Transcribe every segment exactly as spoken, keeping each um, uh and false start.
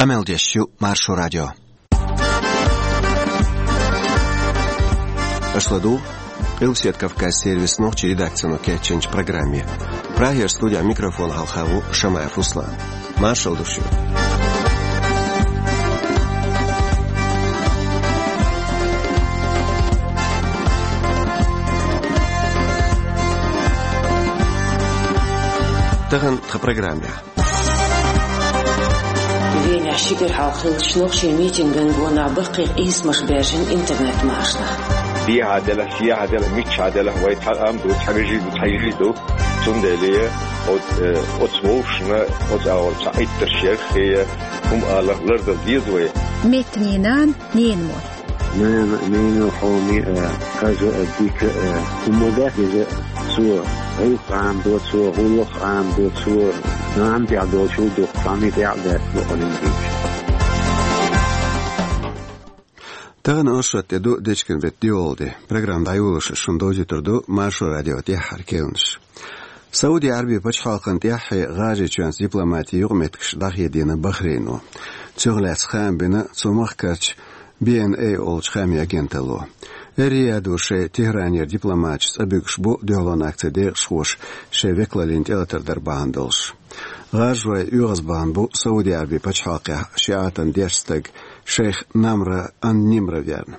Къамел деш ю Маршо радио. Аша ладугӀу Къилбаседа Кавказан сервисан нохчийн редакцино кечйинчу программе. Прагера студехь микрофон хьалха ву Шамаев Руслан. Маршалла ду шуьга. Тахана тхан программехь. Венехь ши кӀира хьалха хиллачу нохчийн митинган гонах баккхий къийсамаш баьржина интернет-машанехь. Дехьа делахь, шехьа делахь, миччахьа делахь, вай цхьа ам ду, цхьа вежарий ду, цхьа йижарий ду. Цундела оцу, э, оцу вовшашна, оцу агӀор цхьа Ӏиттарш ярх хе, хӀума аларх лардала деза вай. Меттанийн нана, ненан мотт. Нана, ненан хьоме а, хаза а, дика а, хӀума дац иза, цо гӀиллакх Ӏамадо, цо гӀуллакх Ӏамадо, цо нана тӀехь долчул дукха цхьанна тӀехь а дац бохург дийцича. Тахана оршот тӀе ду дечкен беттан доьалгӀа де. Программа дӀайолош шуна довзуьйтур ду Маршо радион тӀаьххьара кхаьънаш. Сауди Ӏаьрбийн пачхьалкхана тӀаьххье ГӀажарийчоьнца дипломатийн юкъаметтигаш дӀахедийна Бахрейно. Цунах лаьцна хаам бина цу махкарчу би эн эй олучу хаамийн агенталло. Эр-Риядо шайн Тегеранера дипломаташ цӀа буьгуш бу дуьхьалонна акцин декъашхоша шайн векалаллина тӀелатар дар бахьана долуш. ГӀажарой оьгӀаз бахана бу Сауди Ӏаьрбийн пачхьалкхехь шиӀатан дешна стаг шайх Намра ан-Нимра верна.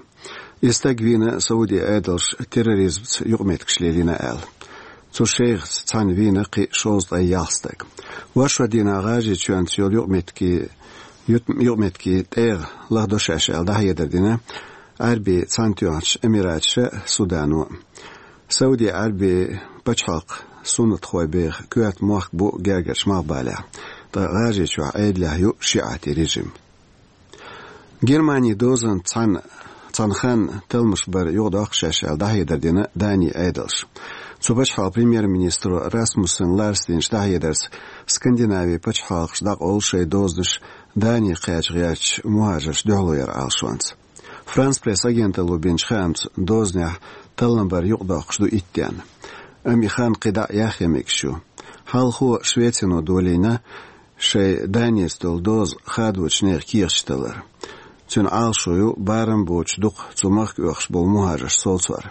И стаг вийна Саудин Ӏедалша терроризмца юкъаметтигаш лелийна аьлла. Цу шайхаца цхьаьна вийна кхин шовзткъе ялх стаг. Оршот дийнахь ГӀажарийчоьнца йолу юкъаметтиге, ют-, юкъаметтиге тӀегӀа лахдо шаьш аьлла дӀахьедар дина Ӏаьрбийн Цхьаьнатоьхначу Эмираташа а, Судано а. Сауди Ӏаьрбийн пачхьалкх суннатхой беха коьрта мохк бу гергарчу Малхбалехь, ткъа ГӀажарийчохь Ӏедалехь ю шиӀатийн режим. Германин дозанца цхьаьна, цхьана ханна талламаш бар юкъадоккху шаьш аьлла дӀахьедар дина Данин Ӏедалша. Цу пачхьалкхан премьер-министро Расмуссен Ларса динчу дӀахьедарца Скандинавин пачхьалкхаш дӀакъовлу шайн дозанаш Дани кхача гӀертачу мухӀажарш дуьхьало яран Ӏалашонца. Франс Пресс агенталло бинчу хаамца дозанехь таллам бар юкъадоккхуш ду итт денна. Амма и хан кхин дӀа а яхъян мегаш ю. Хьалхо Швецино долийна шайн Даница долу доза хадочу нехан кехаташ таллар. Цуьнан Ӏалашо ю барам боцуш дукха цу махка оьхуш болу мухӀажарш совцор.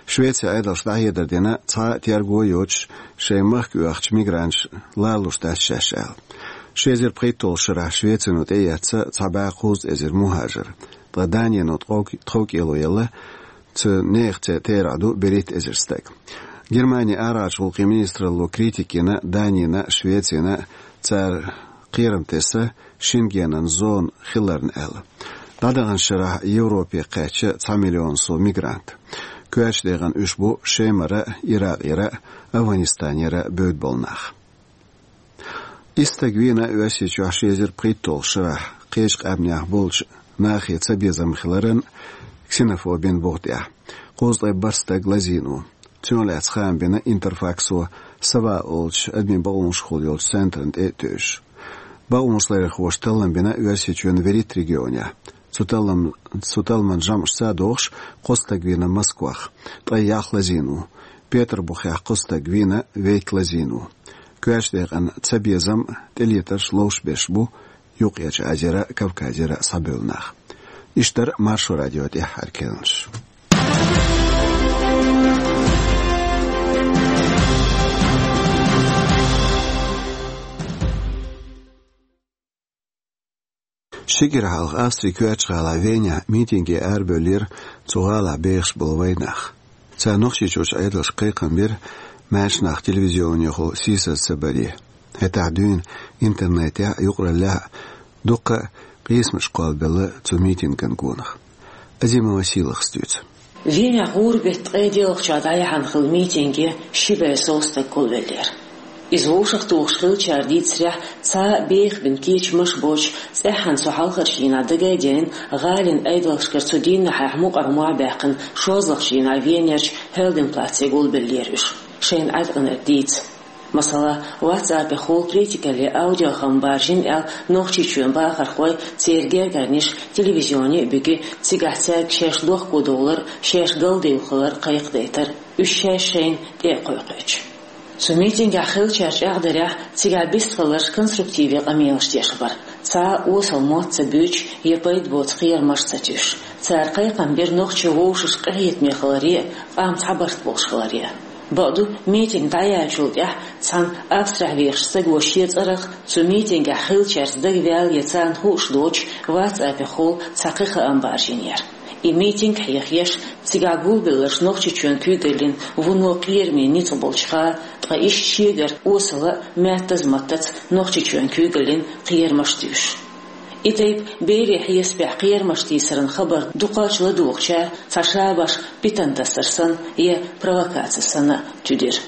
Швецин Ӏедалша дӀахьедар дина цхьа а терго а йоцуш шайн махка оьхучу мигранташ лалуш дац шаьш аьлла. Ши эзар пхийтталгӀачу шарахь Швецино тӀеэцна цхьа бӀе кхузткъа эзар мухӀажар, ткъа Данино тхов-, тховкӀело елла цу нехан цӀе терахь ду берхӀитта эзар стаг. Германин арахьарчу гӀуллакхийн министралло критика йина Данина а, Швецина а цара кхерам тесна Шенгенан зона хиларна аьлла. ДӀадаханчу шарахь Европе кхаьчна цхьа миллион сов мигрант. Коьртачу декъана уьш бу Шемара а, Иракъера а, Афганистанера а бевдда болу нах. Исс стаг вийна Оьрсийчохь ши эзар пхийтталгӀачу шарахь кхечу къаьмнех болчу нахе цабезам хиларан, ксенофобин бух тӀехь. Кхузткъе бархӀ стаг лазийна ву. Цунах лаьцна хаам бина Интерфаксо Сава олучу адамийн бакъонашкахула йолчу центрна тӀе а тевжаш. Бакъонашларъярхоша таллам бина Оьрсийчоьнан вуьрхӀитта регионехь. Цу таллам-, цу талламан жамӀашца а догӀуш, кхо стаг вийна Москвахь, ткъе ялх лазийна ву. Петарбухехь кхо стаг вийна, вейтта лазийна ву. Коьртачу декъана цабезам а, тӀелетарш а ловш берш бу Юккъерчу Азера а, Кавказера а схьабевлла нах. Иштта дара Маршо радион тӀаьххьара кхаьънаш. Ши кӀира хьалха Австрин коьртачу гӀалахь Венехь митинге арабевллера цу гӀалахь бехаш болу вайнах. Цара Нохчийчуьрчу Ӏедалшка кхайкхам бира маьрша нах телевизионехула сийсаз ца баре. ХӀетахь дуьйна интернетехь а, юкъараллехь а дуккха а къийсамаш кхоллабелла цу митинган гонах. Азимова Сийлахас дуьйцу. Венехь гӀуран беттан ткъе диъалгӀачохь дӀаяьхьна хилла митинге ши бӀе сов стаг гулвеллера. Иза вовшахтухуш хиллачара дийцарехь, цхьа а бехабина кечамаш а боцуш, цӀеххьана цу хьалхарчу дийнахь дага а дайна, гӀалин Ӏедалшкара цу дийнахьехь мукъара мохь а баьккхина, шозлагӀчу дийнахь Венерчу Хельденплаце гулбеллера уьш, шайна Ӏаткъинарг дийца. Масала, WhatsApp-ехула критикалле аудиохам баржийна аьлла, Нохчийчоьнан бахархой, церан гергарниш телевизионе а буьгий, цигахь цаьрга шаьш дохкодовлар, шаьш галдевлла хилар кхайкхадайтар, уьш шаьш шайна тӀе а кхойкхуьйтуш. Цу митингехь хиллачара чӀагӀдарехь, цигахь бистхиларш конструктиве къамелаш деш бара. Ца Цхьа а осал мотт ца буьйцуш я пайда боцу кхерамаш ца туьйсуш. Цара кхайкхам бира нохчий вовшашка къинхетаме хиларе а, къам цхьабарт болуш хиларе а. Бакъду, митинг дӀаяьллачул тӀаьхьа цхьана Австрехь вехачу стага шен цӀарах, цу митингехь хиллачаьрца дагаваьлла я царна хууш доцуш, WhatsApp-ехула цхьа кхин хаам баржийнера. И митинг хьехаеш, цигахь гулбелларш Нохчийчоьнан куьйгаллин вуно кхераме ницкъ болчуха, ткъа иштта шегара осала а, маьттаза маттаца Нохчийчоьнан куьйгаллин кхерамаш туьйсуш. И тайпа берийн хьесапехь кхерамаш тийсаран хабар дукхаччалц ладугӀучара цхьа шабаш питана тасар санна я провокаци санна а туьдира.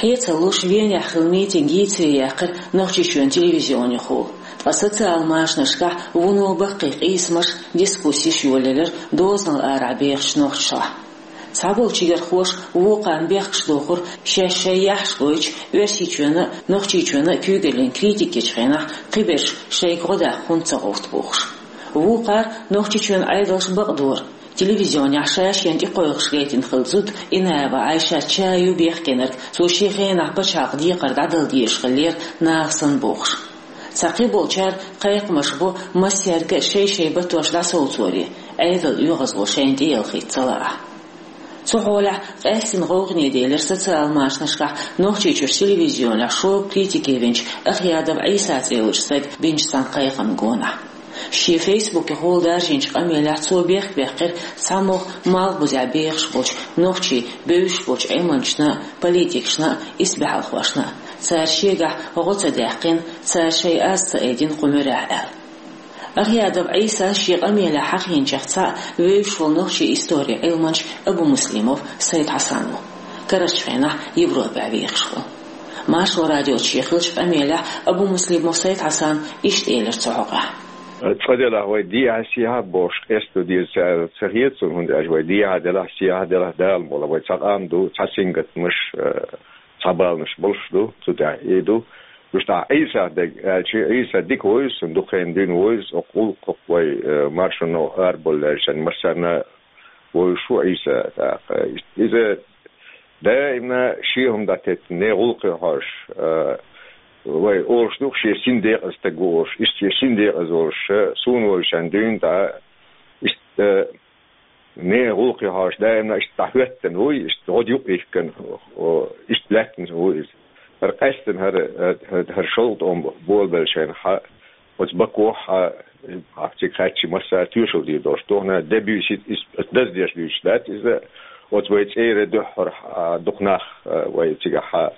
Хье ца луш, Венехь хилла митинг йийцаре яьккхира Нохчийчоьнан телевизионехула. Ткъа социал машанашкахь вуно баккхий къийсамаш, дискуссеш йолаелира дозанал арахь бехачу нохчашлахь. Цхьаболу чигархоша вукхарна бехкаш дохура, шаьш шайн яхьаш гойтуш, Оьрсийчоьнан а, Нохчийчоьнан а куьйгаллин критика ечу хенахь кхиберш шайга гӀо даккха хӀунда ца гӀовтту бохуш. Вукхара Нохчийчоьнан Ӏедалш бакъдора. Телевизионехь ша-шена тӀекхойкхуш гайтина хилла зуда Инаева Ӏайшат ча ю бехкенарг, цо шен хенахь пачхьалкхан декхар дӀадала дезаш хиллера наха санна бохуш. Цхьа кхиболчара кхайкхамаш бо массаьрга а шай-шай батош дӀасовцоре, Ӏедалан оьгӀазло шайна тӀеялхийта ца лаахь. Цу хьолехь къаьстина гӀовгӀане делира социал машанашкахь Нохчийчуьра телевизионехь шога критике винчу Ахъядов Ӏийса цӀе йолчу стага бинчу цхьана кхайкхамна гонах. Шен фейсбукехула даржийначу къамелехь цо бехк баьккхира цхьамогӀа малхбузехь бехаш болчу нохчийн бевзаш болчу Ӏилманчашна а, политикашна а, исбаьхьалхошна а. Цара шегахь гӀо ца даьккхина, цара шайн аз ца айдина кху муьрехь аьлла. Ахъядов Ӏийсас шен къамелехь хьахийначех цхьаъ вевзаш волу нохчийн историн Ӏилманча Абумуслимов Сайд-Хьасан ву. Карарчу хенахь Европехь вехаш ву. Маршо радиоца шен хиллачу къамелехь Абумуслимов Сайд-Хьасана иштта элира цу хьокъехь. Цкъа делахь вай дехьа-сехьа бохуш къасто деза ца аьлла ца хета суна, хӀунда аьлча вай дехьа делахь, сехьа делахь Дала мукъ лахь, вай цхьа къам ду, цхьа сингаттамаш, э, цхьа баланаш болуш ду, цу тӀехь и ду. Уьш тӀаккха Ӏийса дерг аьлча, Ӏийса дика вевза суна, дукха хенахь дуьйна вевза, оцу гӀуллакхах вай, э, маршонал арабовлуш шайн массарна вевзаш ву Ӏийса тӀаккха. Иза даимна шен хӀума дӀатеттина, нехан гӀуллакхе хьожуш, э, вай олуш ду, шен син декъаза стаг ву олуш, иштта шен син декъаза волуш, э, суна вевзаш шайн дуьйна тӀаккха, иштта, э, нехан гӀуллакхе хьожуш, даимна иштта дӀахӀоьттина вуй, иштта гӀо юкъ йихкина, о, иштта лаьттина ву иза. ХӀара къаьстина хӀара, хӀара, хӀара шовзткъа тӀом болабелла шайна хьа, оцу Бакохь хьа, хьа цига хаьттича массара тоьшалла дийр долуш. Тохана де буьйса, иза даздеш дуьйцуш дац иза, оцу вай цӀера дуьххьара хьа, дукха нах, вай цигахь хьа,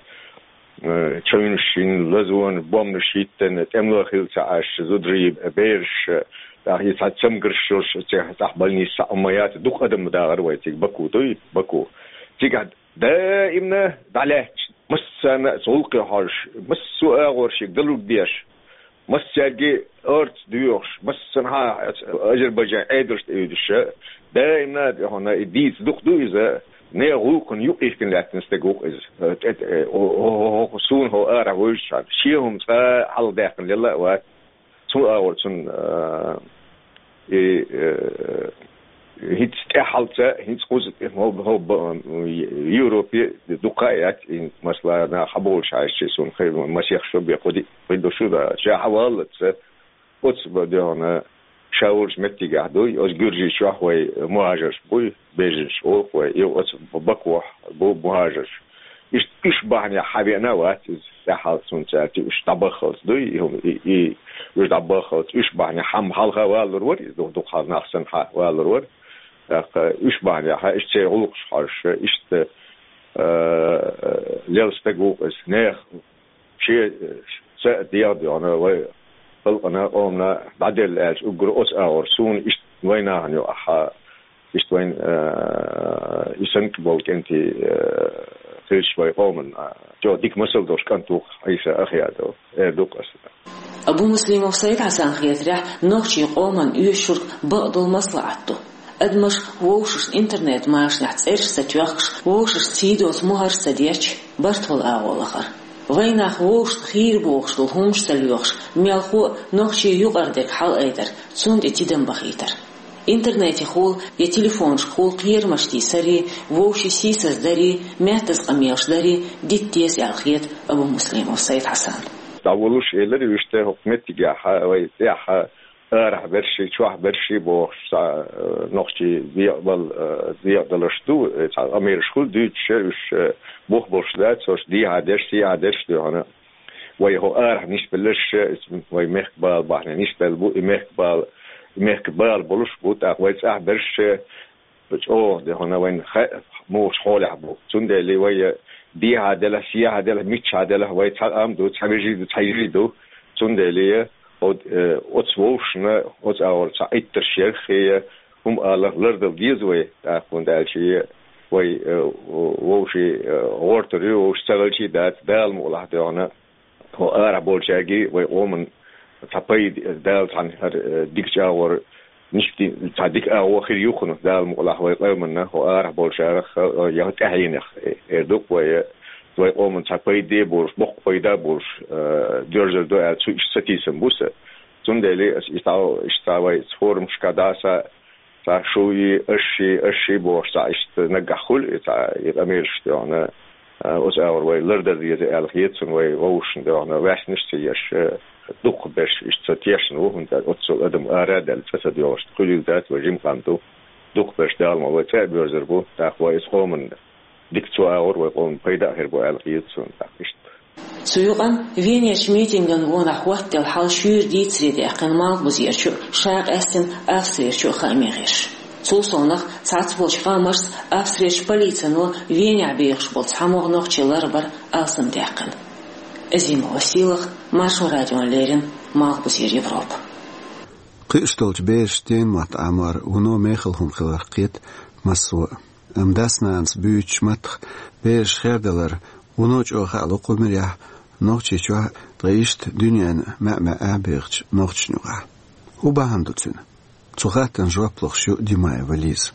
э, чевнаш йина, лазонаш, бомбанаш хӀиттина, тӀемало хилла ца Ӏаш, зударий, бераш, тӀаккха и цхьа цамгарш йолуш, цигахь тӀаккха больница цхьа а ма яц, дукха адам дахара вай цига, Баку дуй, Баку. Цигахь даимна дӀалаьтташ, массарна а цу гӀуллакхе хьожуш, массо а агӀор шега далург деш, массаьрга орца доьхуш, массанхьа а Азербайджан Ӏедалшна тӀеуьдуш, даимна а тӀе хьуна и дийца дукха ду иза, нехан гӀуллакхана юкъ йихкина лаьттина стаг ву-кх иза. Э, тӀе, тӀе, о, о, о, о, суна хьо арахь вевзачхьана, шен хӀума цкъа а хьалхадаккхина лелла а вац. Цу агӀор цунна, э, и, э, хӀинца тӀаьххьалца, хӀинца кхуза тӀе хӀо-, хӀо-, б-, Европе дукха а яц, и масала, нах хьаболуш хьаьжча, суна хи-, масех шо бен кху ди-, кху ду шу да, ша хьаваллалца, оцу ба-, дехана, ша волчу меттигехь дуй, оцу Гуьржийчохь вай мухӀажарш буй, беженцаш олу-кх вай, и оцу Бакохь бу мухӀажарш. Иштта уьш бахьанехь хьавеана а вац иза, тӀаьххьалца цунца аьлча, уьш дӀабаххалц дуй, и хӀума, и, и, уьш дӀабаххалц, уьш бахьанехь хьа-, хьалха валур вара иза, дукха-, дукха хьалха нах санна хьа валур вара. ТӀаккха уьш бахьанехь, иштта церан гӀуллакхаш хьожуш, иштта, э, лела стаг ву-кх иза, нехан шен, э, са а дегӀ а доьгӀна, вай халкъана, къомана дӀаделла аьлча, уггар оцу агӀор суна иштта вайнахана юкъахь, иштта вайн, э, и санна болу кӀентий, э, хилча вай къоман, э, чӀогӀа дика масал долуш кӀант ву-кх Ӏийса Ахъядов, эр ду-кх аса. Абумуслимов Сайд-Хьасанна хетарехь, нохчийн къоманна оьшург бакъдолу маслаӀат ду. Адамаш вовшашна интернет-машанехь цӀераш ца тоьхкуш, вовшашна сий доцу мухӀарш ца детташ, барт волу агӀо лахара. Вайнах вовшашна хийра бохуш долу хӀуманаш ца лоьхуш, мелхо а нохчийн юкъара дерг хьалаайдар, цунна тӀе тидам бахийтар. Интернетехула я телефонашкахула кхерамаш тийсаре, вовшийн сийсаздаре, маьттаза къамелаш даре дита деза аьлла хета Абумуслимов Сайд-Хьасанна. ДӀаволуш элира уьш тӀе хӀокху меттигехь, вай цӀехь, арахь берш, чохь берш бохуш, цхьа, э, нохчий декъадал-, э, декъадаларш ду, э, цхьа къамелаш хуьлу дуьйцуш, уьш, э, бух болуш дац, уьш дехьа дерш, сехьа дерш дуьхьана. Вай хӀо арахь нисбелларш, э, вай мехкан бала бахьана нисбелла бу, и мехкан бала, и мехкан бала болуш бу, тӀаккха вай цӀахь берш, э, чӀогӀа де хьуна вайна хаьа, муха хьолехь бу. Цундела вай дехьа делахь, сехьа делахь, миччахьа делахь, вай цхьа къам ду, цхьа вежарий ду, цхьа йижарий ду. Цундела оцу, э, оцу вовшашна, оцу агӀор цхьа Ӏиттарш ярх, хӀума аларх лардала деза вай, тӀаккха хӀунда аьлча вай, э, вовшийн, э, гӀортор ю, вовшашна ца хилча а дац, Дала мукъалахь дуьхьана. ХӀо арахь болчаьрга вай къоман цхьа пайда, Дала цхьаьна хӀара, э, дика чӀагӀор, ништи цхьа дика агӀо хир ю хӀуна, Дала мукъалахь вай къоманна, хӀо арахь болчарах, э, я тӀаьхьенех, э, эр ду-кх вай, э, вай къоман цхьа пайда а болуш, боккха пайда а болуш, э, доьрзур ду аьлла, цу иштта сатийсам бу сан. Цундела ас и цхьа, иштта цхьа вай форумашка дӀа а са, цхьа шу и, аш ши, аш ши бохуш, цхьа иштта наггахь хуьлу и цхьа и къамелаш дуьхьана, а, оцу агӀор вай лардар деза аьлла хета суна, вай вовшашна дуьхьана ваьшнаш ца еш, а, дукхахберш иштта ца тешна ву, хӀунда аьлча оццул адам ара а даьлла, цӀа ца доьгӀуш хуьлийла дац, вай жима къам ду. Дукхахберш Дала мукъалахь вай цӀа а боьрзур бу, тӀаккха вай иза къоманна дика цу агӀор вай къоманна пайда а хир бу аьлла хета суна, тӀаккха иштта. Цу юкъанна Венерчу митинган гонах хӀоттаделла хьал шуьйра дийцаре даьккхина Малхбузерчу а, ша къаьстина Австрерчу а хааман гӀирсаша. Цул совнаха цхьацца болчу хаамашца Австрерчу полицино Венехь бехаш болу цхьа могӀа нохчи ларбар алсамдаьккхина. Азимова Сийлаха, Маршо радиона леррина, Малхбузера Европа. Кхуьуш долчу берашна ненан мотт Ӏамор вуно мехала хӀума хиларх кхета массо а. Амма дас-нанас буьйцучу маттах бераш хердалар вуно чӀогӀа хаало кху муьрехь Нохчийчохь, ткъа иштта дуьненна маьӀ-маьӀӀехь бехачу нохчашна юкъахь. ХӀун бахьана ду цуьнан? Цу хаттарна жоп лохуш ю Димаева Лиза.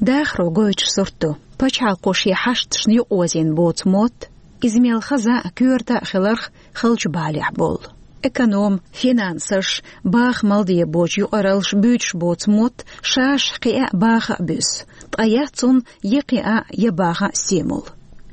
Дахаро гойтуш сурт ду. Пачхьалкхо шен хьашташна юкъаозийна боцу мотт, иза мел хаза а, коьрта а хиларх халчу балехь болу. Эконом, финансаш, баха мел де боцу юкъараллаш буьйцуш боцу мотт шаьш кхиа а, баха а буьсу, ткъа яц цунна я кхиа а, я баха а стимул.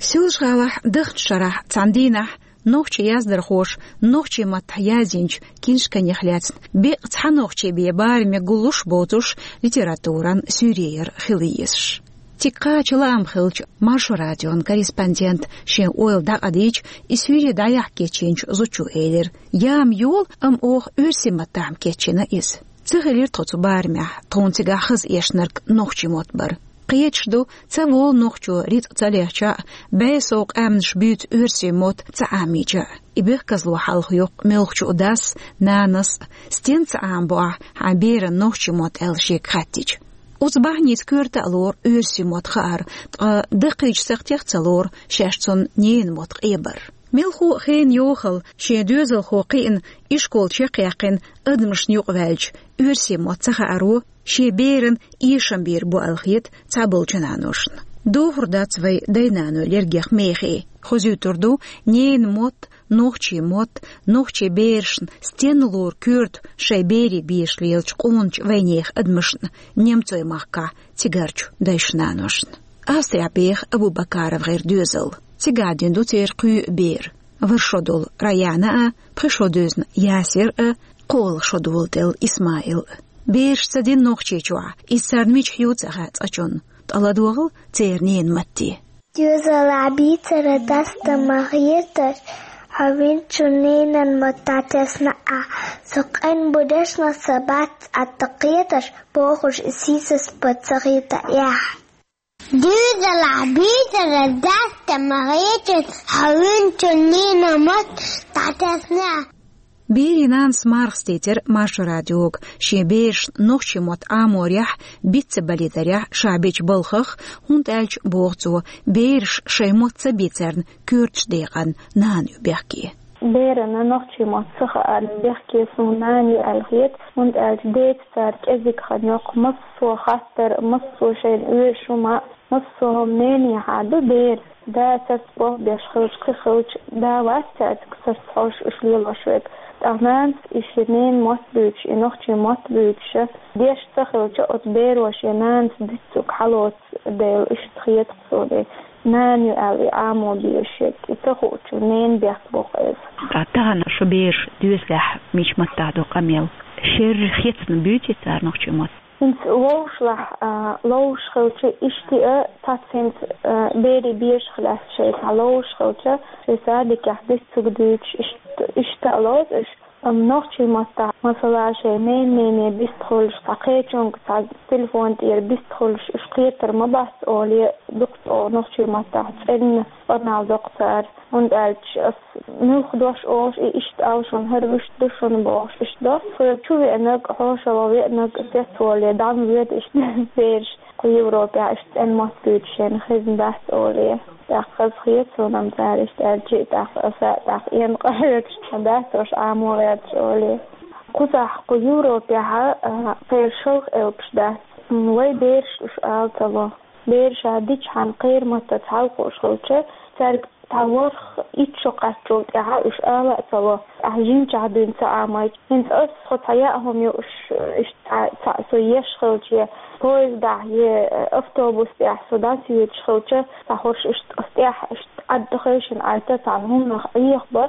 Соьлжа-ГӀалахь дахначу шарахь цхьана дийнахь нохчийн яздархоша нохчийн маттахь язйинчу киншканех лаьцна беккъа цхьа нохчи бен бараме гуллуш боцуш литературан суьйре яр хила езаш. Цига кхача лаам хилча, Маршо радион корреспондента шен ойла дӀакъадийча, и суьйре дӀаяхьа кечйинчу зудчо элира: «Яма йолу, амма оха оьрсийн маттахь-м кечйина иза». Ца хилира тхо цу барамехь, тхуна цигахь хаза эшнарг нохчийн мотт бара. Кхеташ ду, ца волу нохчо рицкъ ца лехча а, бӀе сов къаьмнаш буьйцу оьрсийн мотт ца Ӏамийча а. И бехказло хьалха йоккху муьлххачу дас а, нанас а, стенна ца Ӏамабо ахь хьайн берана нохчийн мотт аьлла шега хаьттича. Оцу бахьаница коьрта а лору оьрсийн мотт хаар, ткъа даккхийчу сакхтех а ца лору шаьш цунна ненан мотт къебар. Мелхо а хенан йохалла шен доьзалхо кхиъна, ишкол чекхъяьккхина адамашна юкъаваьлча, оьрсийн мотт ца хааро шен берана эшам бийр бу аьлла хета цхьаболчу наношна. Дохур дац вай дай-наной лергех мехе. Хозуьйтур ду ненан мотт, нохчийн мотт, нохчийн берашна стенна лору коьрта шайн берийн бешаш лелачу къоначу вайнехан адамашна немцойн махкахь цигарчу дайшна-наношна. Австрехь беха АбубакаровгӀеран доьзал. Цигахь дина ду церан кхоъ бер. ВорхӀ шо долу Раяна а, пхи шо дуьзна Ясир а, кхоалгӀа шо доладелла Исмаил а. Бераш ца дина Нохчийчохь, иза царна мичахь ю ца хаьа цкъачунна, ткъа ладогӀал церан ненан матте. Доьзалехь бийцар дас дан ма хеташ, хьо винчун ненан мотт дӀатесна ахь. Со къен бу дешна, сан бац цӀа тӀе кхеташ, бохуш, и сийсаз бан ца хета эхь. Доьзалехь бийцар дас дан ма хеташ, хьо винчун ненан мотт дӀатесна ахь. Берийн нанас мархаш дийцира Маршо радиога, шен берашна нохчийн мотт Ӏаморехь, биц ца балийдарехь ша бечу балхах, хӀунда аьлча, боху цо, бераш шайн мотт ца бийцарна коьртачу декъана нана ю бехке. Берана нохчийн мотт ца хаарна бехке суна нана ю аьлла хета, хӀунда аьлча деца цара кӀезиг хан йоккху массо а хаттар, массо а шайна оьшуш хӀума, массо а хӀума ненехьа ду бер. Да сарц болх беш хилча, кхин хилча, да вац цаьрца сарц хьожуш уьш лелош верг. ТӀаккха нанас и шен ненан мотт буьйцуш, и нохчийн мотт буьйцуш, деш ца хилча, оцу беро шен нанас диццуг хьалоцу дела, иштта хета-кх суна. Нана ю аьлла, и Ӏамо безаш ерг, и ца хуучу ненан бехк бу-кх иза. Ткъа тахана шун бераш доьзалехь мича маттахь ду къамел? Шерра хецна буьйций цара нохчийн мотт? ХӀинца ловзуш лахь, а, ловзуш хилча, иштта а, цхьацца хӀинца, а, берийн бешах лаьцна шайца ловзуш хилча, шайн садикехь диццуг дуьйцуш, иштта, иштта а лоцу уьш. Амма нохчийн маттахь, масала, шайн ненан-нене бист хуьлуш, цхьа кхечуьнга, цхьа телефон тӀера бист хуьлуш, уьш кхетар ма бац олий, дукха цӀогӀа нохчийн маттахь цӀена къамел доккху цара. ХӀунда аьлча ас муьлха дош олуш, и иштта ала шуна, хӀара вуьшта ду шуна бохуш, иштта до. Тхоьга чу веанарг, хьошалгӀа веанарг цецволий, дӀа ма воьду иштта бераш. Кху Европехь иштта цӀена мотт буьйцуш шайна хезна дац олий. ТӀаккха хазахета суна-м цара иштта аьлча, тӀаккха аса а тӀаккха эн къахьоьгуш дац уьш Ӏамо гӀерташ олий. Кхузахь кху Европехь а кхеран шалха элпаш дац. Вайн бераш уьш ала ца ло. Бераша дичахьана кхеран маттаца хьалакхуьуш хилча, цаьрга цхьа ворхӀ итт шо кхаччул тӀаьхьа уьш ала а ца ло, ахь жимчохь дуьйна ца Ӏамойтуш. ХӀинца ас, тхо цхьа яа хӀума ю уьш, иштта цхьа, цхьа со еш хилча, я поездахь, я автобус тӀехь со дӀасоьцуш хилча, цхьа хӀорш иштта ас тӀехь, иштта Ӏад хевшина Ӏайта цхьана хӀуманах Ӏехабо,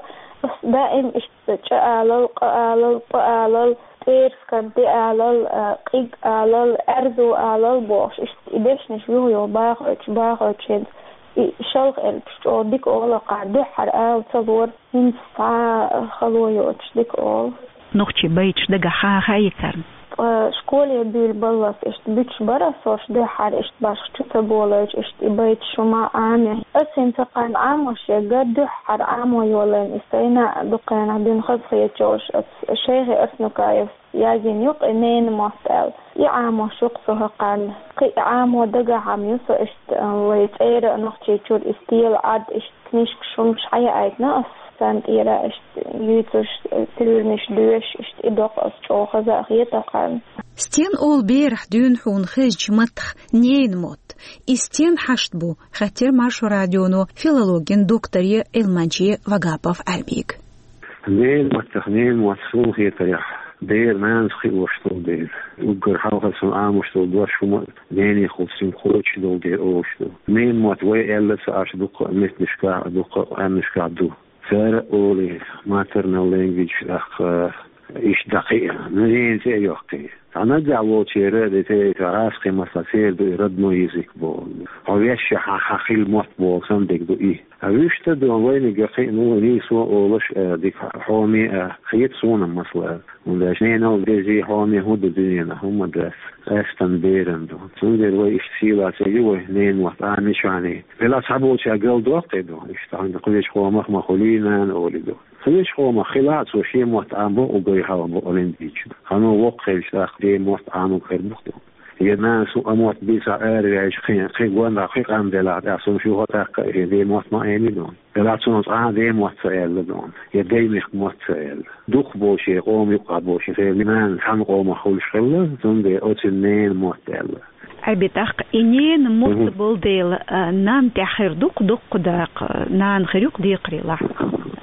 ас даим иштта чӀа алал, къа алал, пӀа алал, тӀерскан тӀе алал, а, къиг алал, аьрзу алал бохуш, иштта и дешнаш юха-юха бахойтуш, бахойтуш хӀинца и шалха элпаш чӀогӀа дика олу-кх, дуьххьара ала ца лора, хӀинца цхьа хало йоцуш дика олу. Нохчийн байташ дагахь хаа хаьий царна? Ткъа школе буьйлабаллалц иштта буьтуш бара ас хӀорш дуьххьара, иштта башха чу ца болуьйтуш, иштта и байташ хӀума Ӏамий. Ас хӀинца кхарна Ӏамош ерг дуьххьара Ӏамо йолийна, и сайна а дукха хенахь дуьйна хазахеташ йолуш, ас Шайхи Арсанукаевс язйина ю-кх и ненан мотт аьлла. И Ӏамош ю-кх со хӀокхарна. Кхин и Ӏамо дагахь-м ю со иштта, вай цӀера а Нохчийчуьра и стелан Ӏад, иштта книжкаш, хӀумнаш хьаяийтина ас, царна тӀера иштта юьйцуш, тилмаш доьшуш, иштта и доккху ас, чӀогӀа хаза а хета хӀокхарна. Стен олу берахь дуьйна хьуна хезачу маттах ненан мотт? И стен хьашт бу, хаьттира Маршо радионо филологин докторе, Ӏилманче Вагапов Ӏаьрбига. Ненан маттах, ненан мотт суна хетарехь, бер нанас кхиош долу дела, уггар хьалха цунна Ӏамош долу дош хӀума а ненехула цуьнга кхочуш долу дела олуш ду. Ненан мотт вай аьлла ца Ӏаш дуккха а меттанашкахь а, дуккха а къаьмнашкахь ду. Цара олий, maternal language, тӀаккха иштта дӀакхиа, ненан цӀе а йоккхий. Цхьа наггахь волчеран а, де те, цхьа гӀазкхийн маттахь церан ду и родной язык боху. Хьо вешшехь хьан, хьан хилла мотт боху санна дерг ду и. Ткъа вуьшта а ду, вайниг а кхиъна ву, нийсо а олуш, а, дика хьоме а хета суна, масала. ХӀунда аьлча ненал дезий, хьоме хӀун ду дуьненахь, хӀумма дац. Къаьстина берана ду. Цундела вай иштта сийлахь ца ю вай ненан мотт Ӏамийча а. Делахь цхьаболчара галдоккхий ду, иштта хьуна кхечу къомах ма хуьлий нана олий ду. Кхечу къомах хилахь а, цо шен мотт Ӏамабо, уггар хьалха бакъалла дийцича. Хьан воккха хилча тӀаккха ден мотт Ӏамург хир бу-кх ду. Я нанас хӀун а мотт бийцахь, араваьлча кхин, кхин гондахь кхин къам делахь, тӀаккха цунна шен хӀокху тӀаккха а шен ден мотт ма Ӏемий дуьйна. Делахь цунах цкъа а ден мотт ца аьлла дуьйна. Я дайн мехкан мотт ца аьлла. Дукхахболчеран, къоман юккъехь болчеран, церан нана цхьана къомах хуьлуш хилла, цундела оцу ненан мотт аьлла. Ӏаьрби, тӀаккха и ненан мотт болу дела, а, нанна тӀехь хир ду-кх доккха дакъа, нана хир ю-кх декхарийлахь,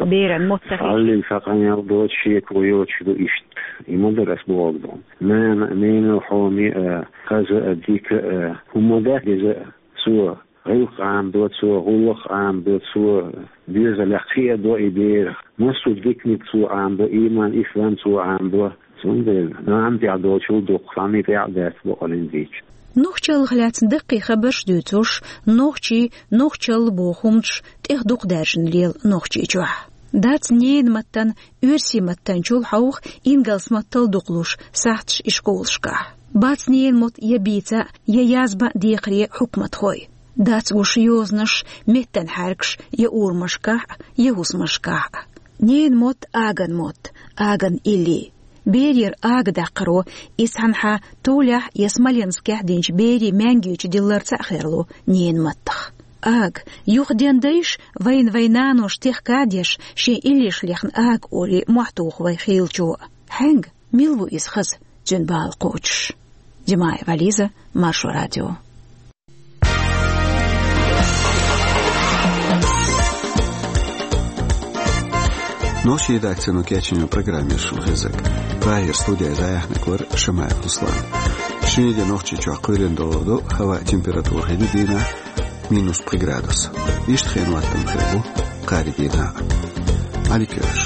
беран мотт ца хилча. Хьаллиг цхьа къамел доцу, шеко йоцуш ду иштта. И ма дара ас бохург дуьйна. Нана, ненал хьоме а, хаза а, дика а, хӀумма дац деза а. Цо гӀиллакх Ӏамадо, цо гӀуллакх Ӏамадо, цо доьзалехь кхиадо и берах. Массо а диканиг цо Ӏамадо, ийман, ислам цо Ӏамадо. Цундела нанна тӀехь долчул дукха цхьанна тӀехь а дац бакъалла дийцича. Нохчаллах лаьцна даккхий хабарш дуьйцуш, нохчий, нохчалла боху хӀуманаш тӀех дукха даьржина лела Нохчийчохь. Дац ненан маттана оьрсийн маттанчул хьовха, ингалс маттал дукха луш сахьташ ишколашкахь. Бац ненан мотт я бийца, я язбан декхаре хьукматхой. Дац гуш йозанаш, меттан хьаьркаш я урамашкахь, я хӀусамашкахь. Ненан мотт аган мотт, аган илли. Берера ага даккхаро, иза цхьанхьа Тулехь я Смоленскехь динчу берийн маьнгичу дилларца а херло ненан маттах. Ага, юха ден дайша вайна вайн наноша техка а деш, шен иллеш лехна ага олий мохь туху вай хийлачо. Хьаьнга, мила ву иза хаза, цуьнан бала кхочуш? Димаева Лиза, Маршо радио. Нохчийн редакцино кечйина программа яра шуна хезнарг. Прагера студехь дӀаяьхьнарг вара Шамаев Руслан. Шинарин де Нохчийчохь кхоьлина долу ду, хӀаваан температура хӀинца дийнахь минус пхи градус. Иштта хенан хӀоттам хир бу кхаьрдийнахьа. Ӏадика йойла.